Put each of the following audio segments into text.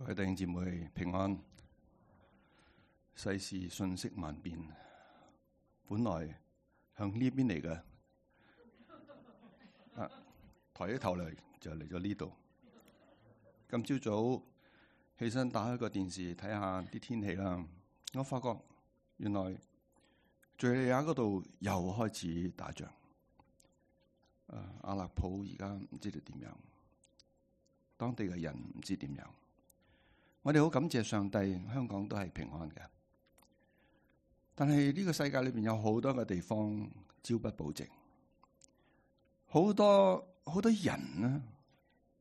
各位弟兄姊妹平安。世事瞬息萬變，本來向呢邊嚟嘅，抬起頭嚟就嚟咗呢度。今朝早起身打開個電視睇下啲天氣啦，我發覺原來敘利亞嗰度又開始打仗。阿勒普而家唔知道點樣，當地嘅人唔知點樣。我哋好感謝上帝，香港都係平安嘅。但係呢個世界裏邊有好多嘅地方朝不保夕，好多人呢，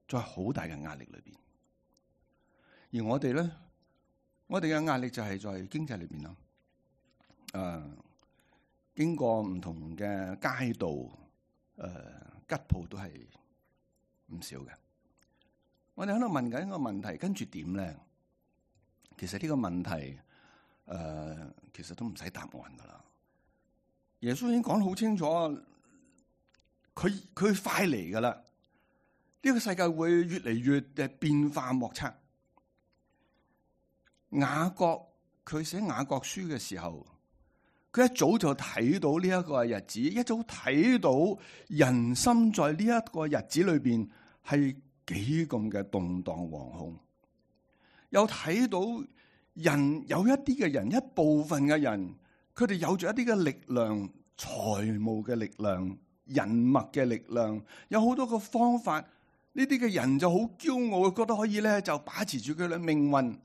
在好大嘅壓力裏邊。而我哋咧，我哋嘅壓力就係在經濟裏邊啦。經過唔同嘅街道，吉鋪都係唔少嘅。我哋喺度問緊一個問題，跟住點咧？其實呢個問題，其實都唔使答案噶啦。耶穌已經講得好清楚，佢快嚟噶啦。呢個世界會越嚟越嘅變化莫測。雅各佢寫雅各書嘅時候，佢一早就睇到呢一個日子，一早睇到人心在呢一個日子裏邊係幾咁嘅動盪惶恐。又睇到人有一啲嘅人，一部分嘅人，佢哋有住一啲嘅力量、財務嘅力量、人脈嘅力量，有好多個方法。呢啲嘅人就好驕傲，覺得可以咧就把持住佢嘅命運。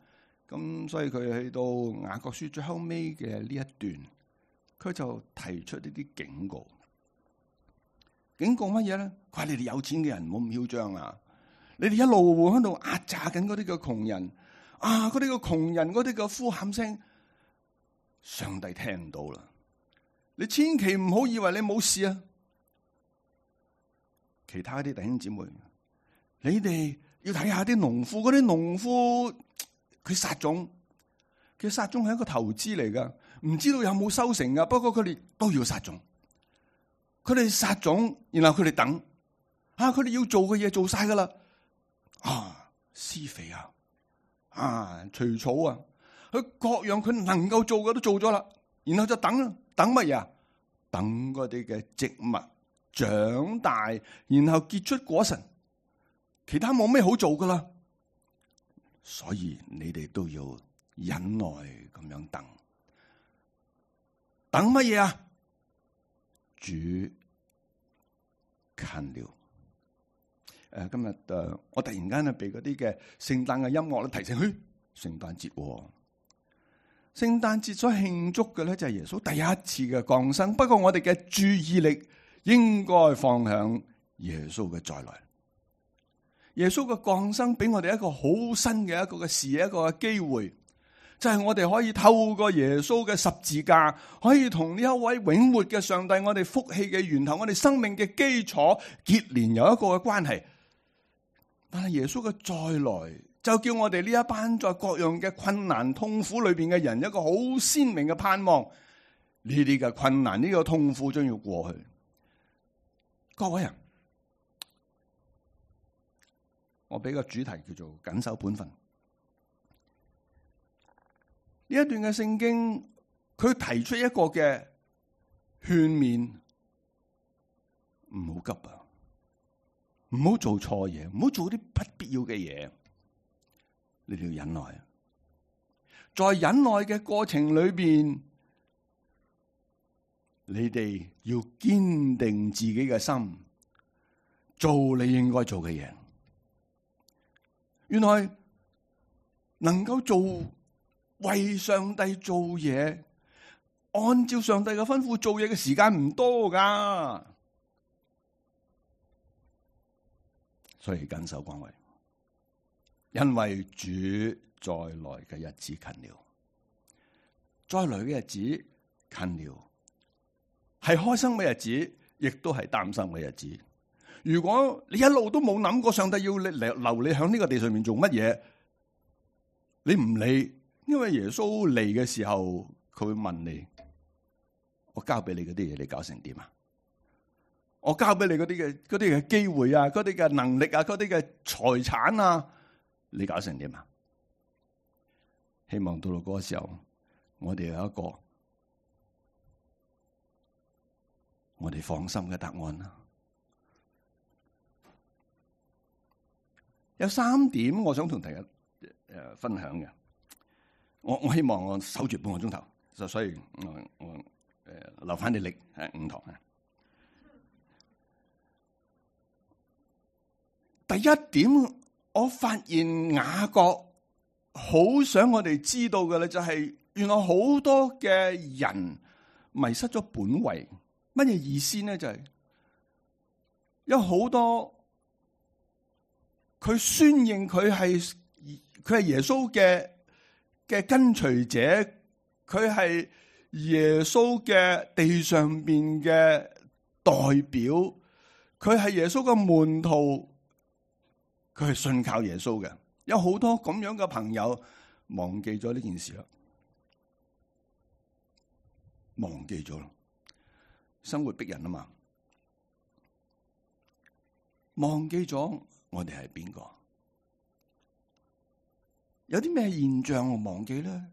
咁所以佢去到雅各書最後尾嘅呢一段，佢就提出呢啲警告。警告乜嘢咧？佢話你哋有錢嘅人唔好咁囂張啊！你哋一路喺度壓榨緊嗰啲嘅窮人。嗰啲個窮人嗰啲個呼喊聲，上帝聽到啦。你千祈唔好以為你冇事啊！其他啲弟兄姊妹，你哋要睇下啲農夫，嗰啲農夫佢撒種，佢撒種係一個投資嚟噶，唔知道有冇收成噶。不過佢哋都要撒種，佢哋撒種，然後佢哋等，佢哋要做嘅嘢做晒噶啦，施肥除草啊，佢各樣佢能夠做嘅都做咗啦，然後就等乜嘢啊？等嗰啲嘅植物長大，然後結出果實，其他冇咩好做噶啦。所以你哋都要忍耐咁樣等，等乜嘢啊？主近了。今日我突然間被嗰啲嘅聖誕嘅音樂咧提醒，聖誕節。聖誕節所慶祝嘅咧就係耶穌第一次嘅降生。不過我哋嘅注意力應該放響耶穌嘅再來。耶穌嘅降生俾我哋一個好新嘅一個嘅視野，一個嘅機會，就係我哋可以透過耶穌嘅十字架，可以同呢一位永活嘅上帝，我哋福氣嘅源頭，我哋生命嘅基礎結連有一個嘅關係。但係耶穌嘅再來，就叫我哋呢一班在各樣嘅困難痛苦裏邊嘅人，一個好鮮明嘅盼望。呢啲嘅困難，呢個痛苦將要過去。各位啊，我俾個主題叫做謹守本分。呢一段嘅聖經，佢提出一個嘅勸勉，唔好急啊！唔好做錯嘢，唔好做啲不必要嘅嘢。你哋要忍耐，在忍耐嘅過程裏邊，你哋要堅定自己嘅心，做你應該做嘅嘢。原來能夠做為上帝做嘢，按照上帝嘅吩咐做嘢嘅時間唔多噶。所以謹守崗位，因為主再來嘅日子近了。再來嘅日子近了，係開心嘅日子，亦都係擔心嘅日子。如果你一路都冇諗過上帝要留你喺呢個地上面做乜嘢，你唔理，因為耶穌嚟嘅時候，佢會問你：我交俾你嗰啲嘢，你搞成點啊？我交俾你嗰啲嘅機會啊，嗰啲嘅能力啊，嗰啲嘅財產啊，你搞成點啊？希望到嗰個時候，我哋有一個我哋放心嘅答案啦。有3點我想同大家分享嘅，我希望我守住半個鐘頭，所以我留翻啲力5堂啊。第一點，我發現雅各好想我哋知道嘅咧，就係原來好多嘅人迷失咗本位。乜嘢意思呢？就係有好多佢宣認佢係耶穌嘅跟隨者，佢係耶穌嘅地上邊嘅代表，佢係耶穌嘅門徒。佢係信靠耶穌嘅，有好多咁樣嘅朋友忘記咗呢件事啦，忘記咗啦，生活逼人啊嘛，忘記咗我哋係邊個？有啲咩現象我忘記咧？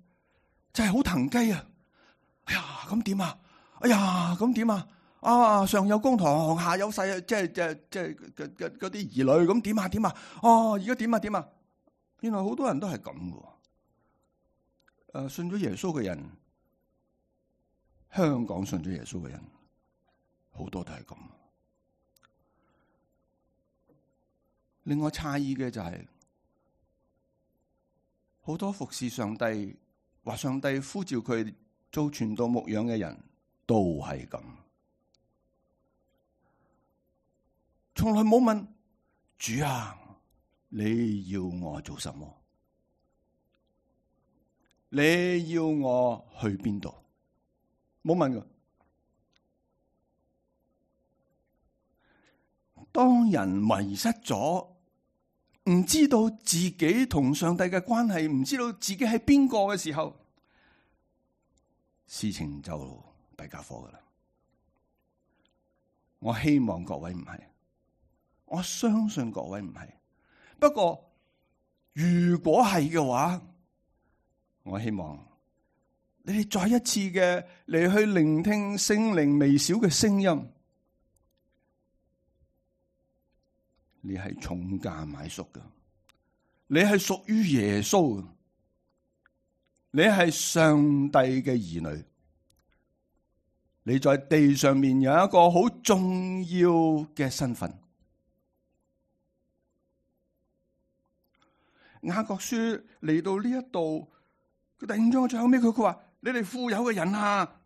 就係好騰雞啊！哎呀，咁點啊？哎呀，咁點啊？啊！上有公堂，下有細，即係嗰啲兒女，咁點啊？點啊？哦，而家點啊？點啊？原來好多人都係咁嘅。信咗耶穌嘅人，香港信咗耶穌嘅人，好多都係咁。另外詫異嘅就係、是，好多服侍上帝或上帝呼召佢做傳道牧養嘅人都係咁。從來冇問主啊，你要我做什麼？你要我去邊度？冇問㗎。當人迷失咗，唔知道自己同上帝嘅關係，唔知道自己係邊個嘅時候，事情就弊家伙㗎喇。我希望各位唔係。我相信各位唔係，不過如果係嘅話，我希望你哋再一次嘅嚟去聆聽聖靈微小嘅聲音。你係重價買贖嘅，你係屬於耶穌嘅，你係上帝嘅兒女，你在地上面有一個好重要嘅身份。雅各書嚟到呢一度，佢第5章最後尾佢話：你哋富有嘅人啊，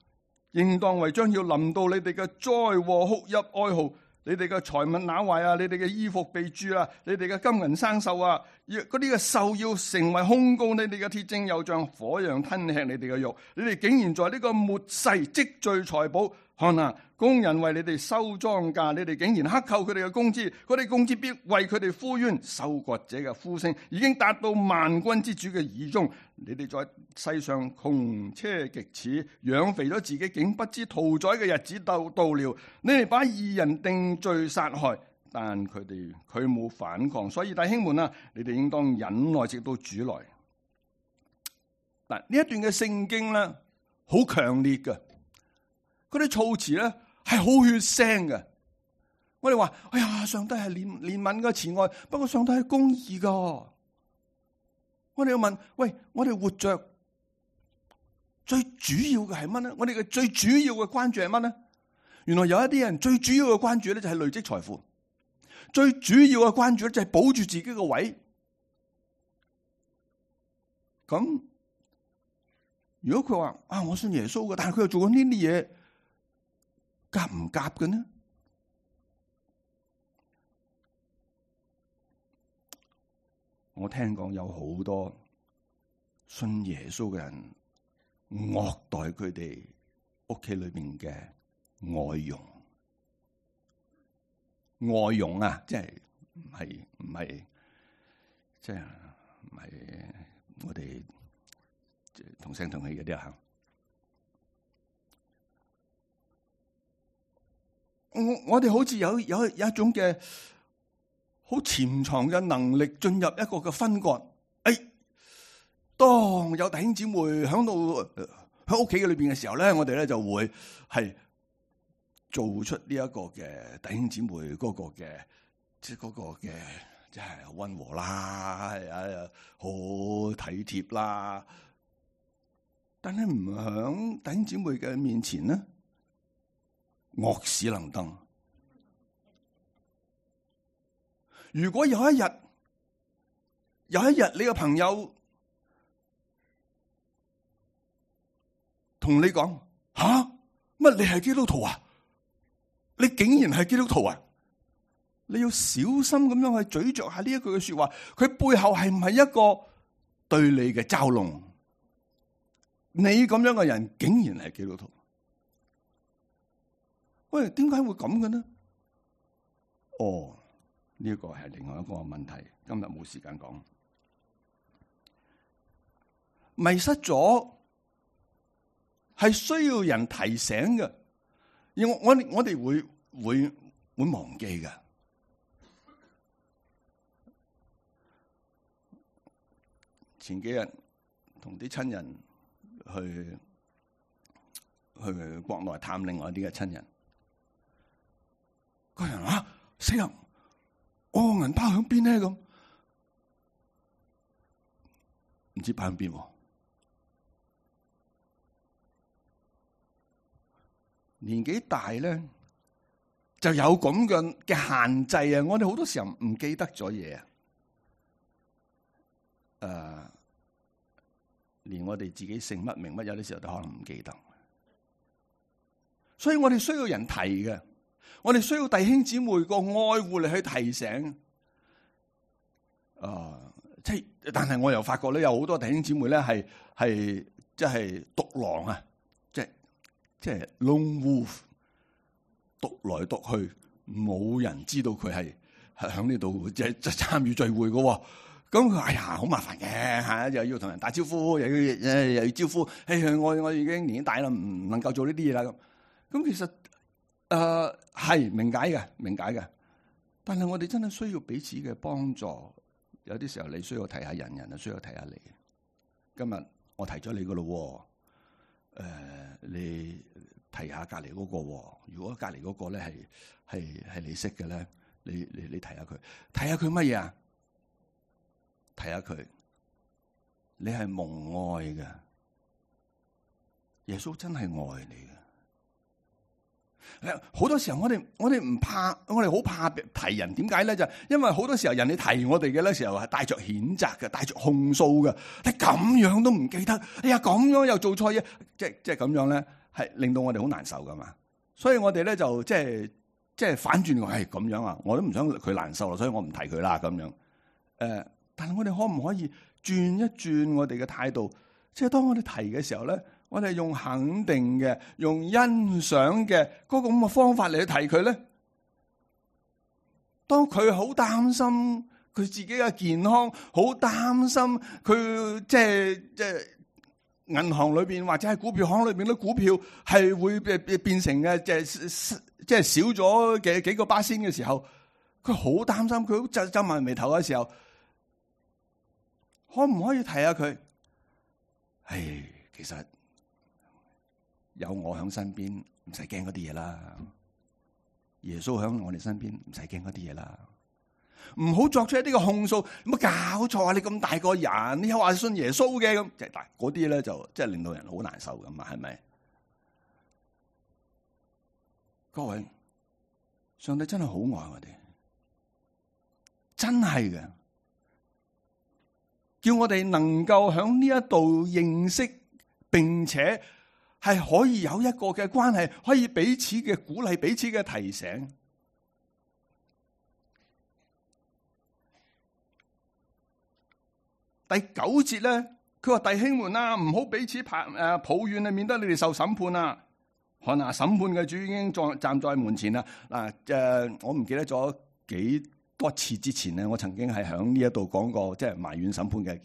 應當為將要臨到你哋嘅災禍哭泣哀號，你哋嘅財物朽壞啊，你哋嘅衣服被蛀啊，你哋嘅金銀生鏽啊，嗰啲嘅鏽要成為控告你哋嘅鐵證，又像火一樣吞吃你哋嘅肉。你哋竟然在呢個末世積聚財寶，看啊！工人為你哋收莊稼，你哋竟然克扣佢哋嘅工資，佢哋工資必為佢哋呼冤。收割者嘅呼聲已經達到萬軍之主嘅耳中。你哋在世上窮奢極侈，養肥咗自己，竟不知屠宰嘅日子到了。你哋把義人定罪殺害，但佢冇反抗。所以弟兄們啊，你哋應當忍耐直到主來。嗱，呢一段嘅聖經咧，好強烈嘅，嗰啲措辭咧係好血腥嘅。我哋話：哎呀，上帝係憐憫嘅慈愛，不過上帝係公義噶。我哋要問：喂，我哋活着最主要嘅係乜呢？我哋嘅最主要嘅關注係乜呢？原來有一啲人最主要嘅關注咧就係累積財富，最主要嘅關注咧就係保住自己嘅位。咁如果佢話：啊，我信耶穌嘅，但係佢又做緊呢啲嘢，夾唔夾嘅呢？我聽講有好多信耶穌嘅人虐待佢哋屋企裏邊嘅外傭，外傭啊，即係唔係，即係唔係我哋同聲同氣嗰啲啊！我哋好似有一種嘅好潛藏嘅能力進入一個嘅分割。當有弟兄姊妹響屋企嘅裏邊嘅時候咧，我哋咧就會係做出呢一個嘅弟兄姊妹嗰個嘅即係溫和啦，係好體貼啦。但係唔響弟兄姊妹嘅面前咧，惡死能登。如果有一日你個朋友同你講吓，乜你係基督徒啊？你竟然係基督徒啊？你要小心咁樣去咀嚼下呢一句嘅說話，佢背後係唔係一個對你嘅嘲弄？你咁樣嘅人竟然係基督徒？喂，點解會咁嘅呢？哦，呢個係另外一個問題，今日冇時間講。迷失咗係需要人提醒嘅，而我哋會忘記嘅。前幾日同啲親人去國內探另外一啲嘅親人，個人話死人，我銀包響邊咧？咁唔知擺響邊。年紀大咧就有咁嘅限制啊！我哋好多時候唔記得咗嘢啊，連我哋自己姓乜名乜，有啲時候都可能唔記得。所以我哋需要人提嘅，我哋需要弟兄姊妹個愛護嚟去提醒。但係我又發覺咧，有好多弟兄姊妹咧係即係獨狼啊！即係 lone wolf， 獨來獨去，冇人知道佢係喺呢度即係參與聚會嘅。咁佢哎呀好麻煩嘅嚇，又要同人打招呼，又要招呼。我已經年紀大啦，唔能夠做呢啲嘢啦。咁其實係明解嘅。但係我哋真係需要彼此嘅幫助。有啲時候你需要提下人，人就需要提下你。今日我提咗你嘅咯。你提下隔籬嗰個，如果隔籬嗰個咧係你識嘅咧，你提下佢，提下佢乜嘢啊？提下佢，你係蒙愛嘅，耶穌真係愛你嘅。好多時候我哋唔怕，我哋好怕提人，點解咧？就因為好多時候人哋提我哋嘅咧時候係帶着譴責嘅，帶着控訴嘅。你咁樣都唔記得，哎呀咁樣又做錯嘢，即係咁樣咧，係令到我哋好難受噶嘛。所以我哋咧就即係反轉話係咁樣啊，我都唔想佢難受啦，所以我唔提佢啦咁樣。但係我哋可唔可以轉一轉我哋嘅態度？即係當我哋提嘅時候咧，我哋用肯定嘅、用欣賞嘅嗰個咁嘅方法嚟去提佢咧。當佢好擔心佢自己嘅健康，好擔心佢即係銀行裏邊或者係股票行裏邊啲股票係會變成嘅即係少咗嘅幾個巴仙嘅時候，佢好擔心，佢好皺埋眉頭嘅時候，可唔可以提下佢？其實有我喺身邊，唔使驚嗰啲嘢啦。耶穌喺我哋身邊，唔使驚嗰啲嘢啦。唔好作出一啲嘅控訴，有冇搞錯啊？你咁大個人，你又話信耶穌嘅咁，即係嗰啲咧就即係令到人好難受噶嘛，係咪？各位，上帝真係好愛我哋，真係嘅，叫我哋能夠喺呢一度認識，並且係可以有一個嘅關係，可以彼此嘅鼓勵，彼此嘅提醒。第9節咧，佢話弟兄們啊，唔好彼此抱怨啊，免得你哋受審判啊！看啊，審判嘅主已經站在門前啦。我唔記得咗幾多次之前咧，我曾經係喺呢一度講過，即係埋怨審判嘅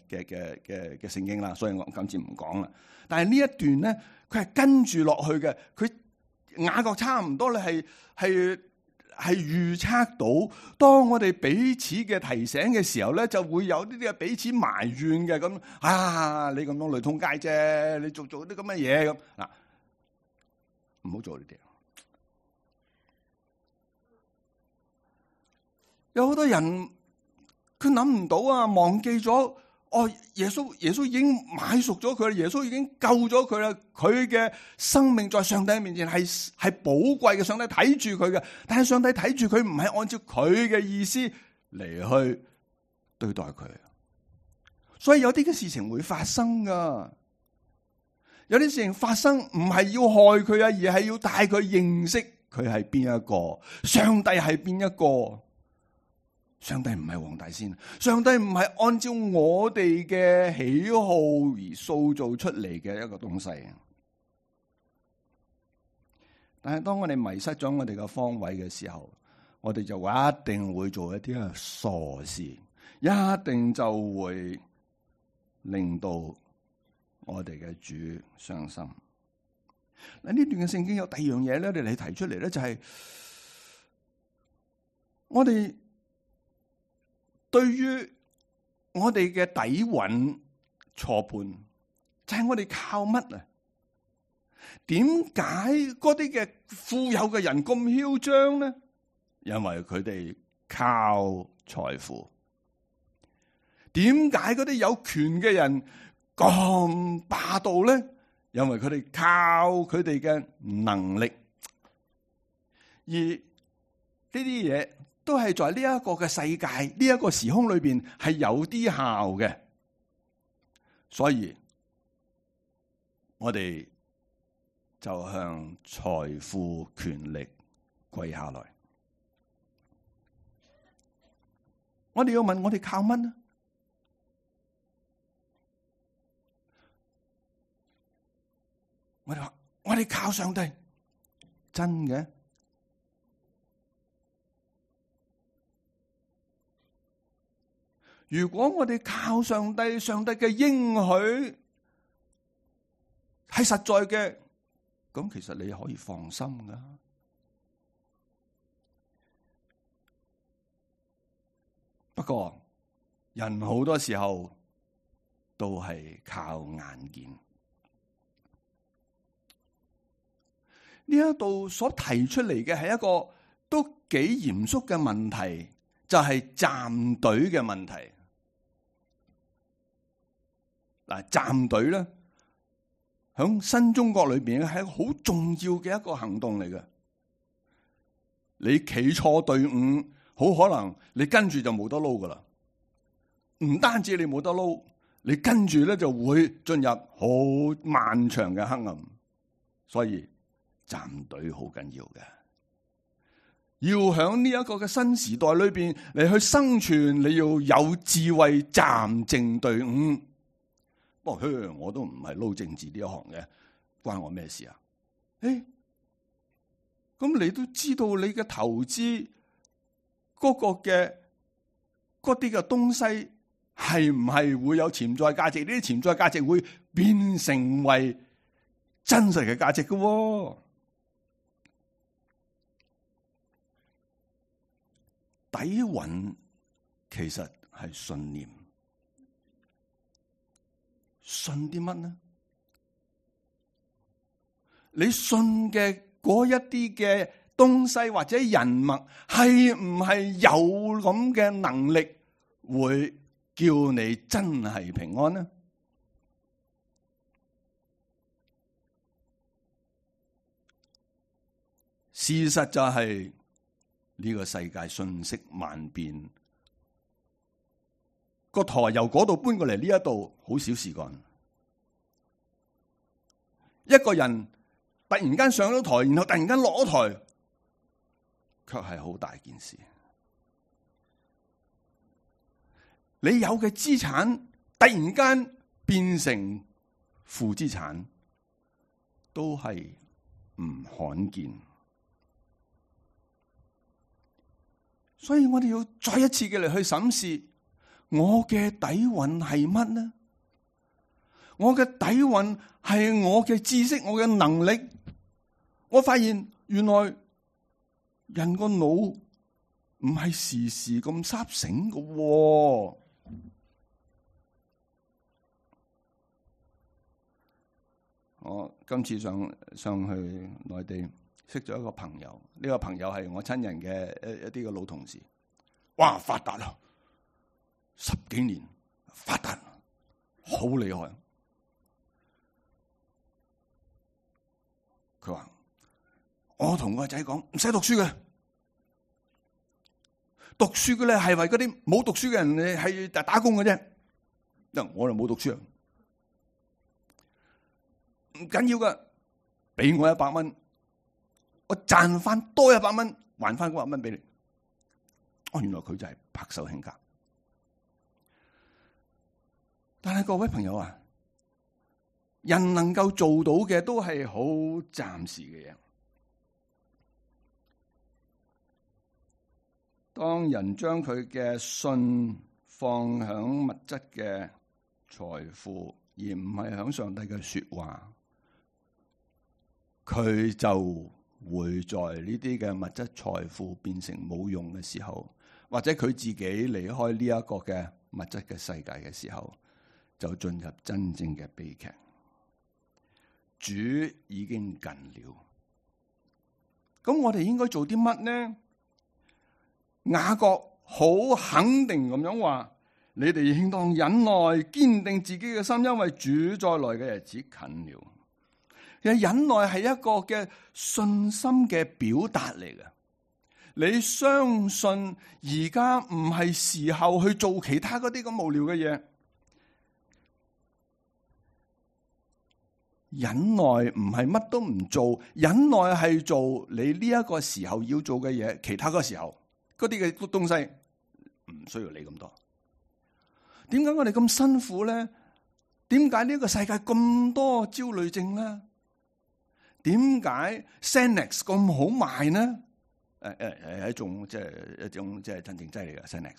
聖經啦，所以我今次唔講啦。但係呢一段咧，佢係跟住落去嘅，佢雅各差唔多咧係係預測到，當我哋彼此嘅提醒嘅時候咧，就會有呢啲嘅彼此埋怨嘅咁你咁樣雷通街啫，你做啲咁嘅嘢咁嗱，唔好做呢啲。有好多人佢諗唔到啊，忘記咗耶穌已經買贖咗佢啦，耶穌已經救咗佢啦，佢嘅生命在上帝面前係寶貴嘅，上帝睇住佢嘅，但係上帝睇住佢唔係按照佢嘅意思嚟去對待佢，所以有啲嘅事情會發生噶，有啲事情發生唔係要害佢啊，而係要帶佢認識佢係邊一個，上帝係邊一個。上帝唔係黃大仙，上帝唔係按照我哋嘅喜好而塑造出嚟嘅一個東西。但係當我哋迷失咗我哋嘅方位嘅時候，我哋就一定會做一啲傻事，一定就會令到我哋嘅主傷心。嗱，呢段嘅聖經有第二樣嘢咧，你提出嚟咧，就係我哋對於我哋嘅底蘊錯判，就係我哋靠乜啊？點解嗰啲嘅富有嘅人咁囂張呢？因為佢哋靠財富。點解嗰啲有權嘅人咁霸道呢？因為佢哋靠佢哋嘅能力。而呢啲嘢都係在呢一個嘅世界，呢一個時空裏邊係有啲效嘅，所以我哋就向財富、權力跪下來。我哋要問：我哋靠乜呢？我哋話：我哋靠上帝，真嘅？如果我哋靠上帝，上帝嘅應許係實在嘅，咁其實你可以放心噶。不過人好多時候都係靠眼見。呢一度所提出嚟嘅係一個都幾嚴肅嘅問題，就係站隊嘅問題。嗱，站隊咧，響新中國裏邊係一個好重要嘅一個行動嚟嘅。你企錯隊伍，好可能你跟住就冇得撈噶啦。唔單止你冇得撈，你跟住咧就會進入好漫長嘅黑暗。所以站隊好緊要嘅，要響呢一個嘅新時代裏邊嚟去生存，你要有智慧站正隊伍。不過，我都唔係撈政治呢一行嘅，關我咩事啊？咁你都知道你嘅投資嗰個嘅嗰啲嘅東西係唔係會有潛在價值？呢啲潛在價值會變成為真實嘅價值嘅喎。底蘊其實係信念。信啲乜呢？你信嘅嗰一啲嘅東西或者人物，係唔係有咁嘅能力，會叫你真係平安呢？事實就係呢個世界瞬息萬變。個台由嗰度搬過嚟呢一度，好少事幹。一個人突然間上咗台，然後突然間落咗台，卻係好大件事。你有嘅資產突然間變成負資產，都係唔罕見。所以我哋要再一次嘅嚟去審視。我嘅底蘊係乜呢？我嘅底蘊係我嘅知識，我嘅能力。我發現原來人個腦唔係時時咁沙醒㗎喎。我今次上去內地識咗一個朋友，呢個朋友係我親人嘅一啲嘅老同事。哇，發達啦，10幾年發達，好厲害。佢話：我同個仔講唔使讀書嘅，讀書嘅咧係為嗰啲冇讀書嘅人係打工嘅啫。嗱，我就冇讀書啊，唔緊要噶，俾我100蚊，我賺翻多100蚊，還翻嗰100蚊俾你。哦，原來佢就係白手興家。但係各位朋友啊，人能夠做到嘅都係好暫時嘅嘢。當人將佢嘅信放響物質嘅財富，而唔係響上帝嘅說話，佢就會在呢啲嘅物質財富變成冇用嘅時候，或者佢自己離開呢一個嘅物質嘅世界嘅時候，就進入真正嘅悲劇。主已經近了，咁我哋應該做啲乜呢？雅各好肯定咁樣話：你哋應當忍耐，堅定自己嘅心，因為主再來嘅日子近了。其實忍耐係一個嘅信心嘅表達嚟嘅。你相信而家唔係時候去做其他嗰啲咁無聊嘅嘢。忍耐唔係乜都唔做，忍耐係做你呢一個時候要做嘅嘢，其他嗰個時候嗰啲嘅東西唔需要理咁多。點解我哋咁辛苦咧？點解呢個世界咁多焦慮症咧？點解 Xanax 咁好賣呢？係一種即係鎮靜劑嚟嘅 Xanax。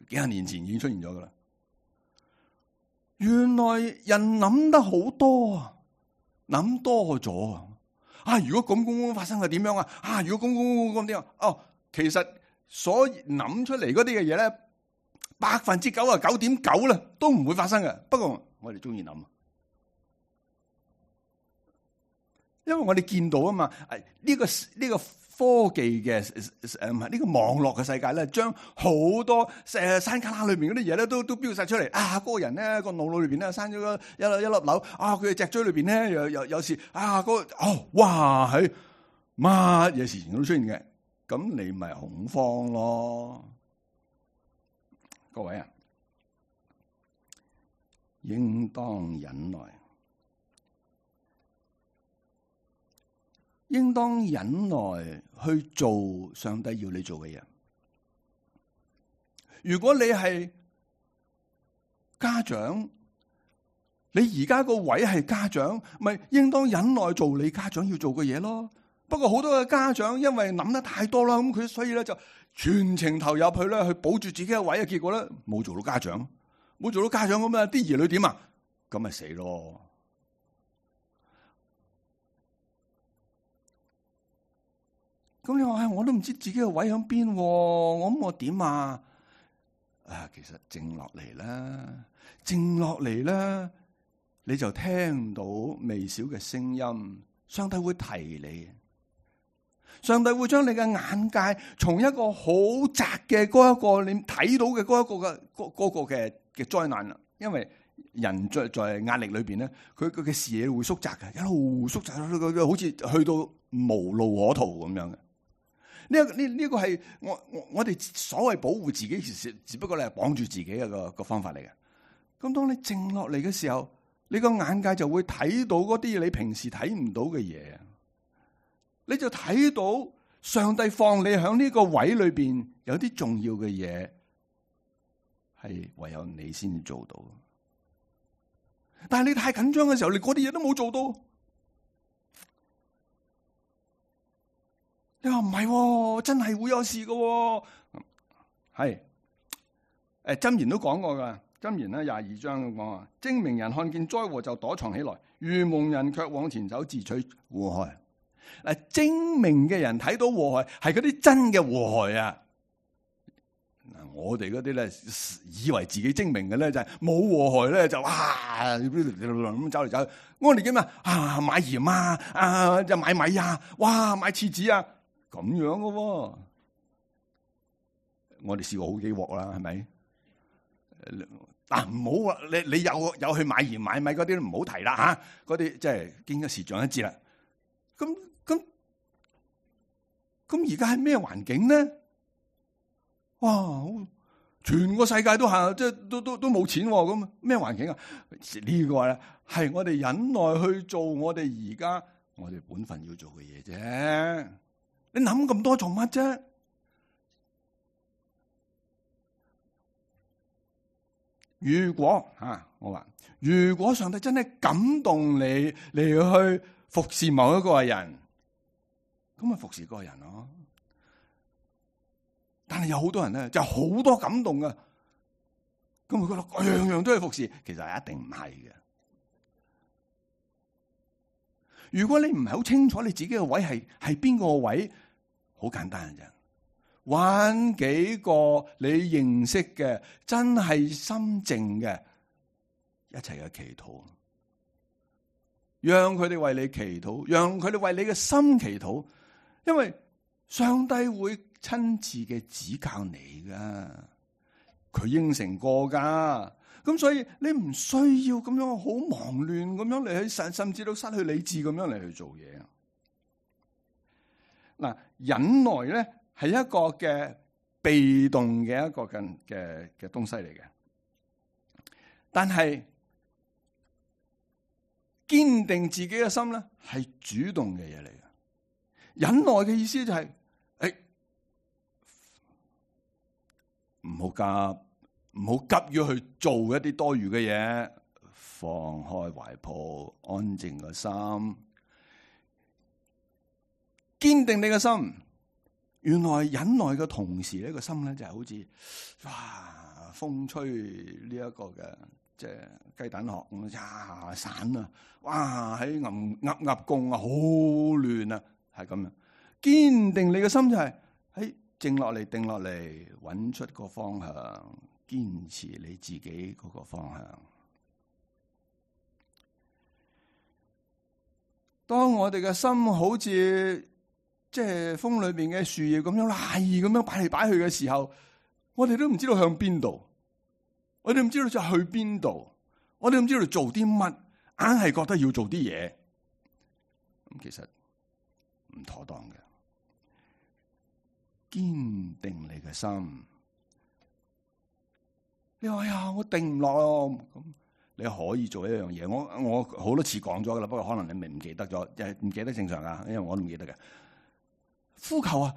幾廿年前已經出現咗噶啦。原來人諗得好多啊，諗多咗啊！如果咁發生係點樣啊？如果咁點啊？哦，其實所諗出嚟嗰啲嘅嘢咧，99.9%啦，都唔會發生嘅。不過我哋中意諗，因為我哋見到啊嘛。呢個科技嘅呢個網絡嘅世界咧，將好多山卡拉裏邊嗰啲嘢咧，都標晒出嚟。嗰個人咧個腦裏邊咧生咗一粒瘤。佢嘅脊椎裏邊咧又有時哇係乜嘢事情都出現嘅。咁你咪恐慌咯，各位啊，應當忍耐。應當忍耐去做上帝要你做嘅嘢。如果你係家長，你而家個位係家長，咪應當忍耐做你家長要做嘅嘢咯。不過好多嘅家長因為諗得太多啦，咁佢所以咧就全程投入去咧，去保住自己嘅位嘅，結果咧冇做到家長，咁啊，啲兒女點啊？咁咪死咯。咁你話我都唔知自己嘅位喺邊，我點啊？其實靜落嚟啦，你就聽到微小嘅聲音，上帝會提你，上帝會將你嘅眼界從一個好窄嘅嗰一個你睇到嘅嗰個嘅災難啦。因為人在壓力裏邊咧，佢嘅視野會縮窄嘅，一路縮窄，好似去到無路可逃咁樣嘅。呢個係我哋所謂保護自己，其實只不過你係綁住自己嘅個方法嚟嘅。咁當你靜落嚟嘅時候，你個眼界就會睇到嗰啲你平時睇唔到嘅嘢，你就睇到上帝放你喺呢個位裏邊有啲重要嘅嘢，係唯有你先做到。但係你太緊張嘅時候，你嗰啲嘢都冇做到。你話唔係，真係會有事嘅。係，箴言都講過噶，箴言咧22章咁講啊，精明人看見災禍就躲藏起來，愚蒙人卻往前走自取禍害。嗱，精明嘅人睇到禍害係嗰啲真嘅禍害啊！嗱，我哋嗰啲咧以為自己精明嘅咧就係冇禍害咧就哇咁走嚟走去。我哋叫咩啊？買鹽啊，就買米啊，哇買廁紙啊，咁樣嘅喎。我哋試過好幾鑊啦，係咪？嗱，唔好啊！你有去買鹽買米嗰啲唔好提啦吓，嗰啲即係經一時長一智啦。咁而家係咩環境呢？哇！全個世界都行，即係都冇錢咁，咩環境啊？呢個咧係我哋忍耐去做我哋而家我哋本分要做嘅嘢啫。你諗咁多做乜啫？如果我話如果上帝真係感動你嚟去服侍某一個人，咁咪服侍嗰個人咯。但係有好多人咧，就好多感動噶，咁佢覺得樣樣都係服侍，其實係一定唔係嘅。如果你唔係好清楚你自己嘅位係邊個位，好簡單嘅啫，揾幾個你認識嘅真係心靜嘅一齊嘅祈禱，讓佢哋為你祈禱，讓佢哋為你嘅心祈禱，因為上帝會親自嘅指教你噶，佢應承過噶，咁所以你唔需要咁樣好忙亂咁樣嚟去甚至到失去理智咁樣嚟去做嘢。嗱，忍耐咧係一個嘅被動嘅一個嘅東西嚟嘅，但係堅定自己嘅心咧係主動嘅嘢嚟嘅。忍耐嘅意思就係唔好急，唔好急於去做一啲多餘嘅嘢，放開懷抱，安靜個心，堅定你嘅心。原來忍耐嘅同時呢個心咧就係好似哇風吹呢一個嘅即係雞蛋殼咁呀散啊，哇喺噏共啊好亂啊，係咁樣。堅定你嘅心就係喺靜落嚟，定落嚟，揾出個方向，堅持你自己嗰個方向。當我哋嘅心好似即係風裏邊嘅樹葉咁樣賴咁樣擺嚟擺去嘅時候，我哋都唔知道向邊度，我哋唔知道就去邊度，我哋唔知道做啲乜，硬係覺得要做啲嘢，咁其實唔妥當嘅。堅定你嘅心，你話呀，我定唔落咁，你可以做一樣嘢。我好多次講咗噶啦，不過可能你唔記得咗，唔記得正常噶，因為我都唔記得嘅。呼求啊，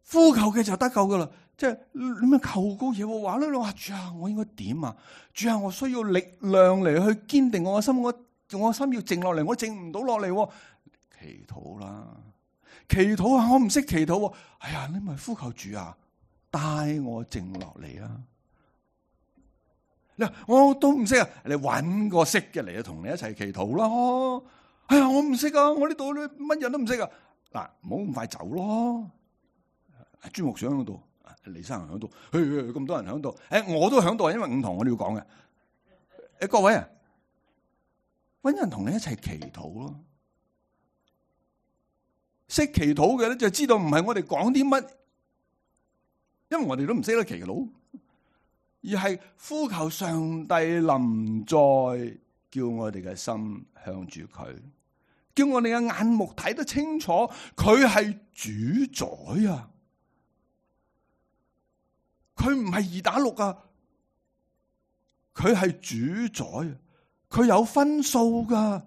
呼求嘅就得救噶啦，即係你咪求個嘢喎，話咧你話主啊，我應該點啊？主啊，我需要力量嚟去堅定我嘅心，我心要靜落嚟，我靜唔到落嚟，祈禱啦。祈禱啊！我唔識祈禱，哎呀，你咪呼求主啊，帶我靜落嚟啊！嗱，我都唔識啊，你搵個識嘅嚟同你一齊祈禱啦！哎呀，我唔識啊，我呢度咧乜人都唔識啊！嗱，唔好咁快走咯。朱牧長喺度，李生喺度，咁多人喺度，我都喺度，因為5堂我哋要講嘅。各位啊，搵人同你一齊祈禱咯。識祈禱嘅咧，就知道唔係我哋講啲乜，因為我哋都唔識得祈禱，而係呼求上帝臨在，叫我哋嘅心向住佢，叫我哋嘅眼目睇得清楚，佢係主宰啊！佢唔係2打6啊，佢係主宰啊！佢有分數噶，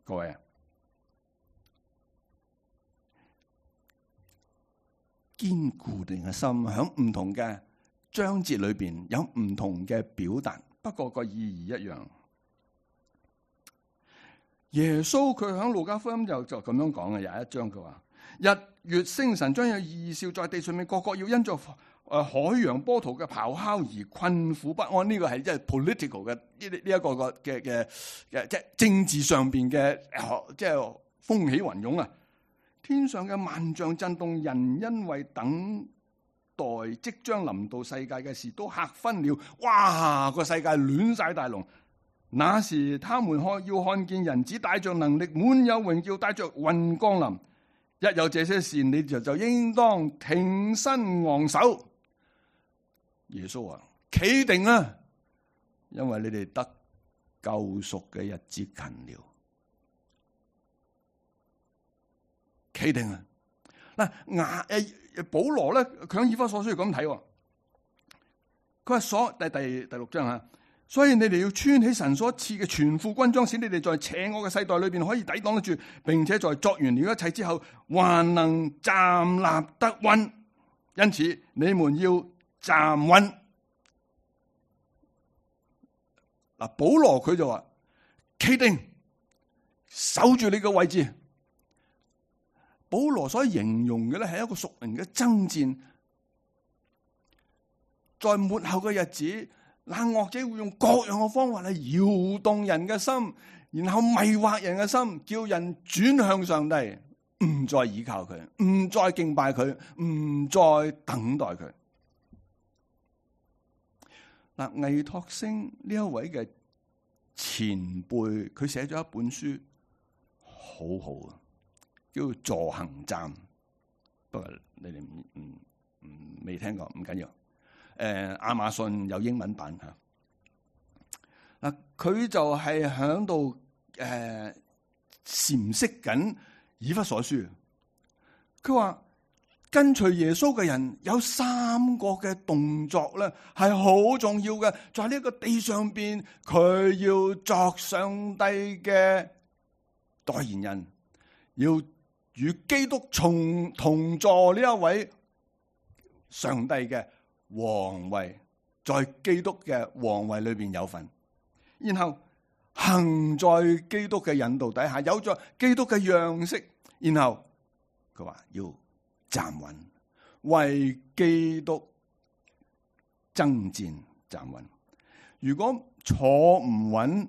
各位啊！堅固定嘅心，喺唔同嘅章節裏邊有唔同嘅表達，不過個意義一樣。耶穌佢喺路加福音就咁樣講嘅，有一章佢話：日月星辰將有異兆在地上面，個個要因着海洋波濤嘅咆哮而困苦不安。呢個係即係 political 嘅呢一個嘅即係政治上邊嘅即係風起雲湧啊！天上嘅萬象震動，人因為等待即將臨到世界嘅事都嚇昏了。哇！個世界亂晒大龍。那時他們要看見人子帶着能力，滿有榮耀，帶着雲降臨。一有這些事，你就應當挺身昂首。耶穌話：企定啊，因為你哋得救贖嘅日子近了。企定啊！嗱，保羅咧，佢喺以弗所書咁睇，佢話第六章啊，所以你哋要穿起神所賜嘅全副軍裝，使你哋在邪惡嘅世代裏邊可以抵擋得住，並且在作完了一切之後，還能站立得穩。因此你們要站穩。嗱，保羅佢就話：企定，守住你嘅位置。保羅所形容嘅咧係一個屬靈嘅爭戰，在末後嘅日子，那惡者會用各樣嘅方法嚟搖動人嘅心，然後迷惑人嘅心，叫人轉向上帝，唔再依靠佢，唔再敬拜佢，唔再等待佢。嗱，倪柝聲呢一位嘅前輩，佢寫咗一本書，好好啊。叫助行站，不過你哋未聽過，唔緊要。亞馬遜有英文版吓。嗱，佢就係響度闡釋緊以弗所書。佢話跟隨耶穌嘅人有三個嘅動作咧，係好重要嘅。在呢個地上邊，佢要作上帝嘅代言人，要與基督同坐呢一位上帝嘅皇位，在基督嘅皇位裏邊有份，然後行在基督嘅引導底下，有咗基督嘅樣式，然後佢話要站穩，為基督爭戰站穩。如果坐唔穩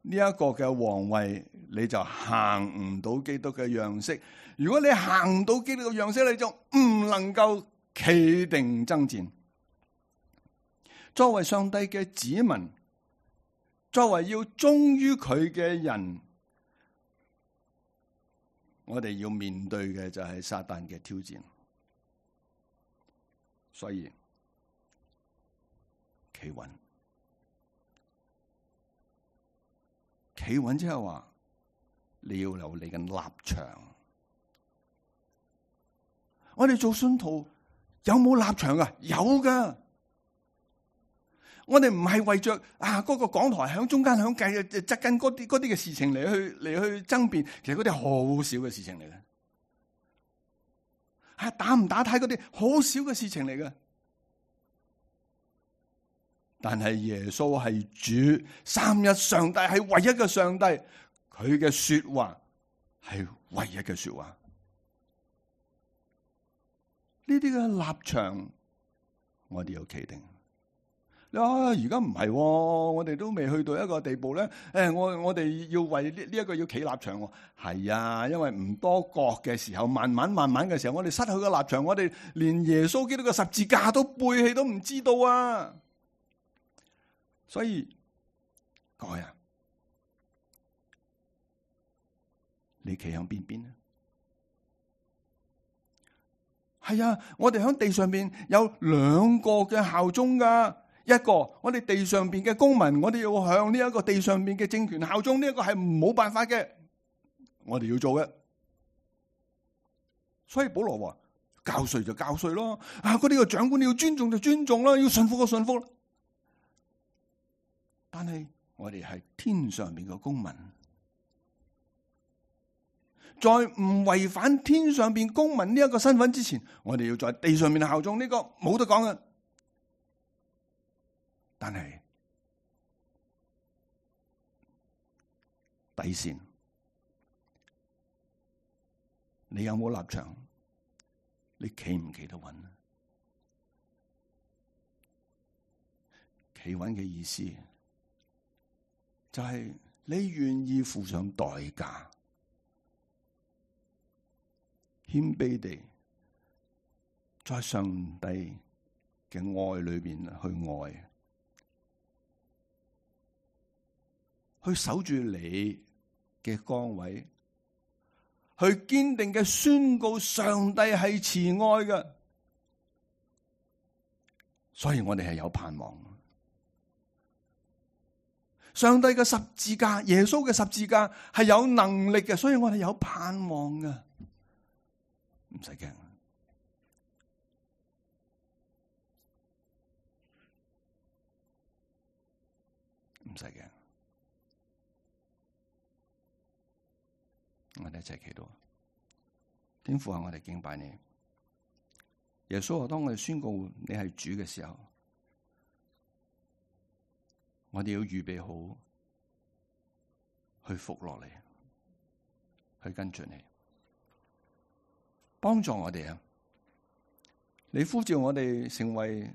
呢一個嘅皇位，你就行唔到基督嘅樣式。如果你行到基督嘅樣式，你就唔能夠企定爭戰。作為上帝嘅子民，作為要忠於佢嘅人，我哋要面對嘅就係撒旦嘅挑戰。所以企穩，企穩之後話，你要有你嘅立場。我哋做信徒有冇立場啊？有噶。我哋唔係為着嗰個講台響中間響計側緊嗰啲嘅事情嚟去爭辯，其實嗰啲好少嘅事情嚟嘅。打唔打呔嗰啲好少嘅事情嚟嘅。但係耶穌係主，三一上帝係唯一嘅上帝，佢嘅說話係唯一嘅說話。呢啲嘅立場，我哋要企定。你話而家唔係，我哋都未去到一個地步咧。我哋要為呢一個要企立場。係啊，因為唔多覺嘅時候，慢慢嘅時候，我哋失去個立場，我哋連耶穌基督嘅十字架都背棄都唔知道啊！所以各位啊，你企響邊邊呢？係啊，我哋喺地上邊有兩個嘅效忠噶。一個，我哋地上邊嘅公民，我哋要向呢一個地上邊嘅政權效忠，呢一個係冇辦法嘅，我哋要做嘅。所以保羅話：教稅就教稅咯，嗰啲個長官你要尊重就尊重啦，要順服就順服啦。但係我哋係天上邊嘅公民。在唔違反天上邊公民呢一個身份之前，我哋要在地上面效忠，呢個冇得講嘅。但係底線，你有冇立場？你企唔企得穩？企穩嘅意思就係你願意付上代價。謙卑地在上帝嘅愛裏邊去愛，去守住你嘅崗位，去堅定嘅宣告上帝係慈愛嘅，所以我哋係有盼望。上帝嘅十字架，耶穌嘅十字架係有能力嘅，所以我哋有盼望嘅，唔使驚，唔使驚。我哋一齊祈禱，天父啊，我哋敬拜你。耶穌啊，當我哋宣告你係主嘅時候，我哋要預備好去服落嚟，去跟住你，幫助我哋啊！你呼召我哋成為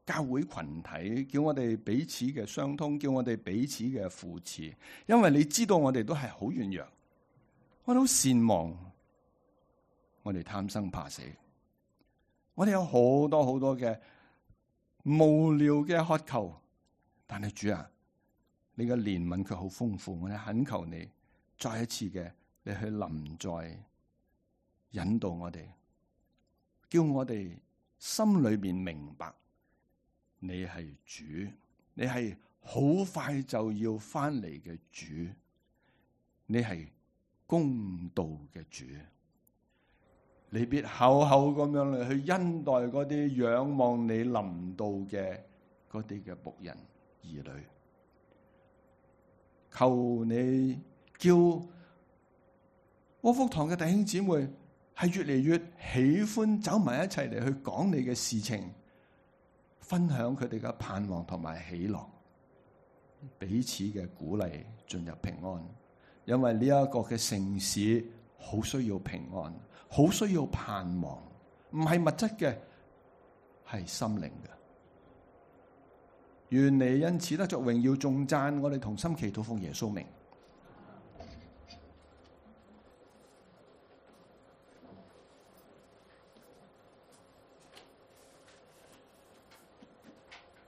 教會群體，叫我哋彼此嘅相通，叫我哋彼此嘅扶持，因為你知道我哋都係好軟弱，我哋好善忘，我哋貪生怕死，我哋有好多好多嘅無聊嘅渴求。但係主啊，你嘅憐憫卻好豐富，我哋懇求你再一次嘅，你去臨在引導我哋，叫我哋心裏面明白你係主，你係好快就要翻嚟嘅主，你係公道嘅主，你必厚厚咁樣嚟去恩待嗰啲仰望你臨到嘅嗰啲嘅僕人兒女，求你叫窩福堂嘅弟兄姊妹係越嚟越喜歡走埋一齊嚟去講你嘅事情，分享佢哋嘅盼望同埋喜樂，彼此嘅鼓勵，進入平安。因為呢一個嘅城市好需要平安，好需要盼望，唔係物質嘅，係心靈嘅。願你因此得着榮耀頌讚，我哋同心祈禱奉耶穌名。